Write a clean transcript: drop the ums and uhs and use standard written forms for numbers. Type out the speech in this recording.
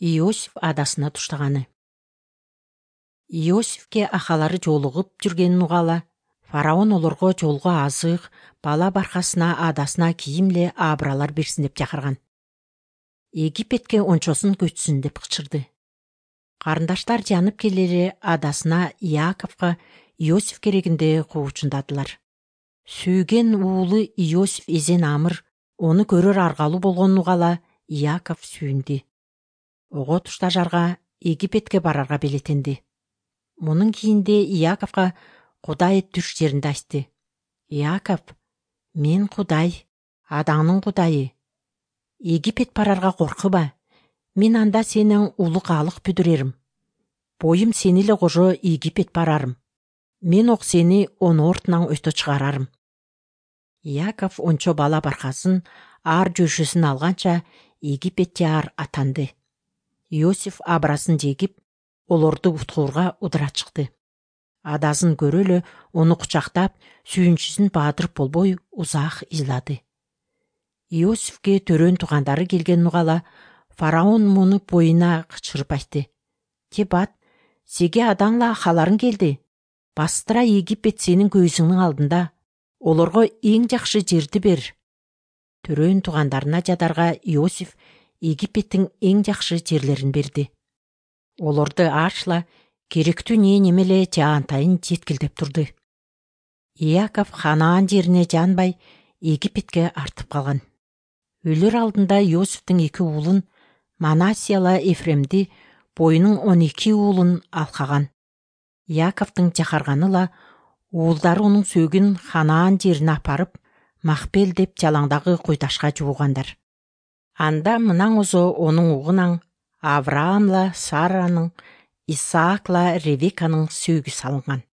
Иосиф адасына туштаганы. Иосифке акалары жолугуп жүргенин угала, фараон олорго жолго азык, бала баркасына, адасына кийимле абралар берсин деп чакырган. Египетке ончосун көчсүн деп кычырды. Карындаштар жанып келе адасына Яковго Иосиф керегинде куучундадылар. Сүйген уулу Иосиф эзен амыр, ону көрөр аргалуу болгонун угала Яков сүйүндү. Ого туштажарга Египетке барарга белетенди. Мунун кийинде Яковго Кудай түш жеринде айтты. Яков, мен Кудай, адаңдын Кудайы. Египет барарга коркуба. Мен анда сенин улук алык бүдүрерим. Боюм сени эле кожо Египет барарым. Мен ок сени ону ортунан өтө чыгарарым. Яков ончо бала баркасын, ар жөшөсүн алганча Египет жаар атанды. Иосиф абрасын жегип, олорду уткуурга удура чыкты. Адасын көрө эле ону кучактап, сүйүнчүсүн баадырып болбой узак ыйлады. Иосифке төрөн туугандары келгенин угала, фараон муну боюна кычырып айтты. Тебат, сеге адаңла акаларың келди. Бастыра Египет сенин көзүңнүн алдында. Олорго эң жакшы жерди бер. Төрөн туугандарына жадарга Иосиф Египеттин эң жакшы жерлерин берди. Олорду ашла, керектүү немеле жаантайын жеткилдеп турду. Яков Ханаан жерине жанбай Египетке артып калган. Өлөр алдында Иосифтин 2 уулун, Манасияла Эфремди, боюнун 12 уулун алкаган. Яковдун жакарганыла уулдары унун сөөгүн Ханаан жерине апарып, Махпел деп жалаңдагы куйташка жуугандар. Анда мынаңызо онун угунан Авраамла Саранын, Исаакла Ревеканын сөөгү салынган.